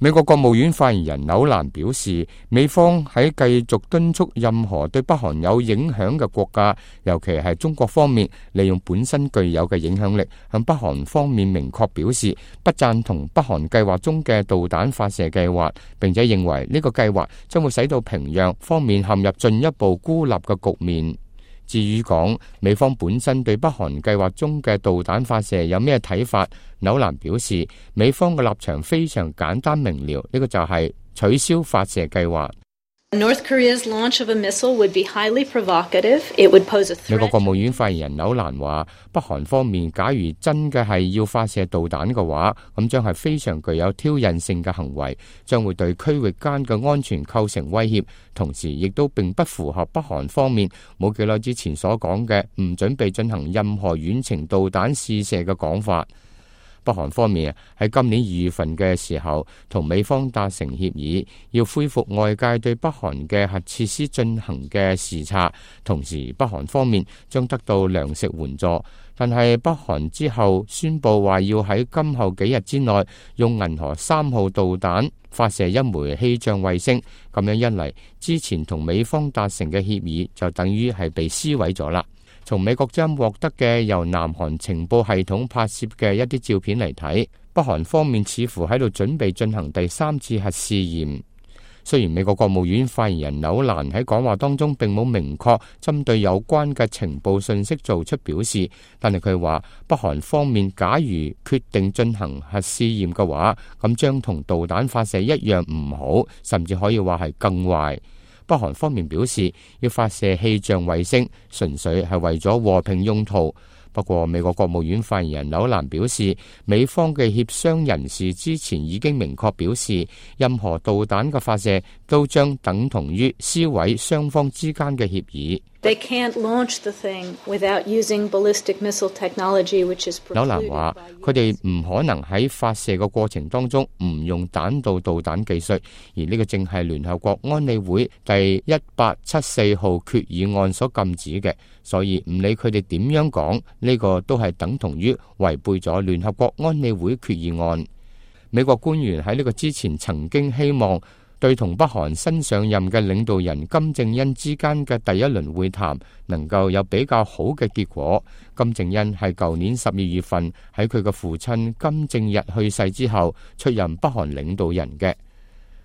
美國國務院發言人紐蘭表示，美方喺繼續敦促任何對北韓有影響嘅國家，尤其係中國方面，利用本身具有嘅影響力，向北韓方面明確表示不贊同北韓計劃中嘅導彈發射計劃，並且認為呢個計劃將會使到平壤方面陷入進一步孤立嘅局面。至於講美方本身對北韓計劃中嘅導彈發射有咩睇法，紐蘭表示美方嘅立場非常簡單明了，呢個就係取消發射計劃。North Korea's launch of a missile would be highly provocative. It would pose a threat. 美國國務院發言人紐蘭話，北韓方面假如真嘅係要發射導彈嘅話，咁將係非常具有挑釁性嘅行為，將會對區域間嘅安全構成威脅，同時亦都並不符合北韓方面冇幾耐之前所講嘅唔準備進行任何遠程導彈試射嘅講法。北韓方面喺今年2月份嘅時候，同美方達成協議，要恢復外界對北韓嘅核設施進行嘅視察，同時北韓方面將得到糧食援助。但係北韓之後宣布話要喺今後幾日之內用銀河3號導彈發射一枚氣象衛星，咁樣一嚟，之前同美方達成嘅協議就等於係被撕毀咗啦。從美國將獲得嘅由南韓情報系統拍攝嘅一啲照片嚟睇，北韓方面似乎喺度準備進行第3次核試驗。雖然美國國務院發言人紐蘭喺講話當中並冇明確針對有關嘅情報信息做出表示，但係佢話北韓方面假如決定進行核試驗嘅話，咁將同導彈發射一樣唔好，甚至可以話係更壞。北韓方面表示，要發射氣象衛星純粹係為咗和平用途。不過美國國務院發言人紐蘭表示，美方嘅協商人士之前已經明確表示，任何導彈嘅發射都將等同於撕毀雙方之間嘅協議。They can't launch the thing without using ballistic missile technology, which is precluded by 紐蘭話，佢哋唔可能喺發射嘅過程當中唔用彈道導彈技術，而呢個正係聯合國安理會第1874號決議案所禁止嘅，所以唔理佢哋點樣講，呢個都係等同於違背咗聯合國安理會決議案。美國官員喺呢個之前曾經希望對同北韓新上任嘅領導人金正恩之間嘅第一輪會談能夠有比較好嘅結果。金正恩係舊年12月份喺佢嘅父親金正日去世之後出任北韓領導人嘅。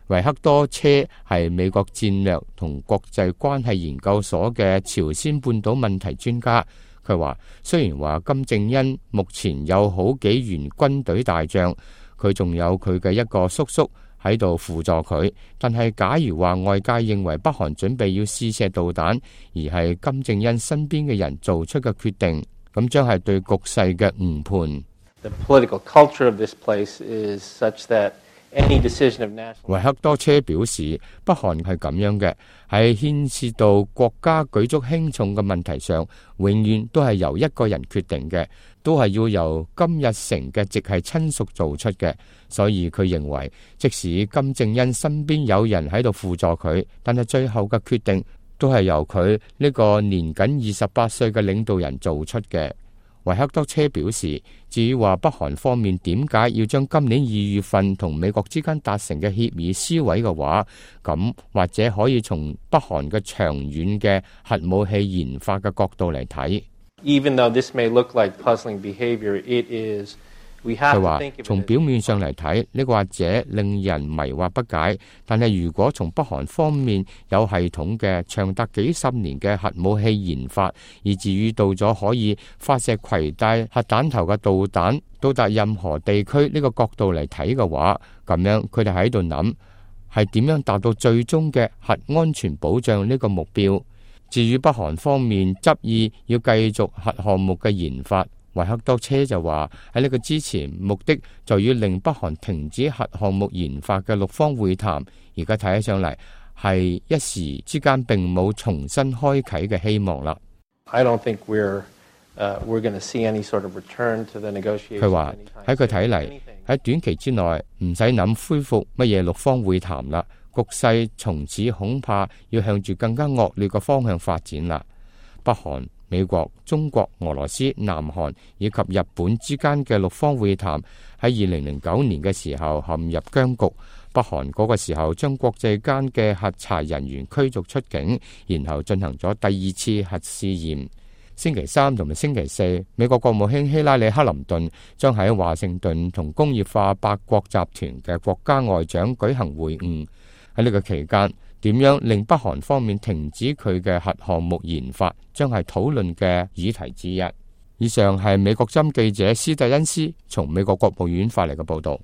維克多車係美國戰略同國際關係研究所嘅朝鮮半島問題專家。佢話，雖然話金正恩目前有好幾員軍隊大將，佢仲有佢嘅一個叔叔喺度輔助佢，但係假如話外界認為北韓準備要試射導彈，而係金正恩身邊嘅人做出嘅決定，咁將係對局勢嘅誤判。The political culture of this place is such that維克多車表示，北韓係咁樣嘅，喺牽涉到國家舉足輕重嘅問題上，永遠都係由一個人決定嘅，都係要由金日成嘅直系親屬做出嘅。所以佢認為，即使金正恩身邊有人喺度輔助佢，但係最後嘅決定都係由佢呢個年僅28歲嘅領導人做出嘅。維克多車表示，至於話北韓方面點解要將今年2月份同美國之間達成嘅協議撕毀嘅話，咁或者可以從北韓嘅長遠嘅核武器研發嘅角度嚟睇。Even though this may look like puzzling behavior, it is. 佢話，從表面上嚟睇，呢個或者令人迷惑不解，但係如果從北韓方面有系統嘅長達幾十年嘅核武器研發，以至於到咗可以發射攜帶核彈頭嘅導彈到達任何地區呢個角度嚟睇嘅話，咁樣佢哋喺度諗係點樣達到最終嘅核安全保障呢個目標。至於北韓方面執意要繼續核項目嘅研發，維克多車就話喺呢個之前，目的就要令北韓停止核項目研發嘅6方會談，而家睇起上嚟係一時之間並冇重新開啟嘅希望啦。I don't think we're going to see any sort of return to the negotiations. 佢話喺佢睇嚟，喺短期之內唔使諗恢復乜嘢6方會談啦，局勢從此恐怕要向住更加惡劣嘅方向發展啦。北韓美國、中國、俄羅斯、南韓以及日本之間嘅6方會談喺2009年嘅時候陷入僵局。北韓嗰個時候將國際間嘅核查人員驅逐出境，然後進行咗第2次核試驗。星期三同埋星期四，美國國務卿希拉里克林頓將喺華盛頓同工業化8國集團嘅國家外長舉行會晤。喺呢個期間，點樣令北韓方面停止佢嘅核項目研發，將係討論嘅議題之一。以上係美國之音記者斯蒂恩斯從美國國務院發嚟嘅報道。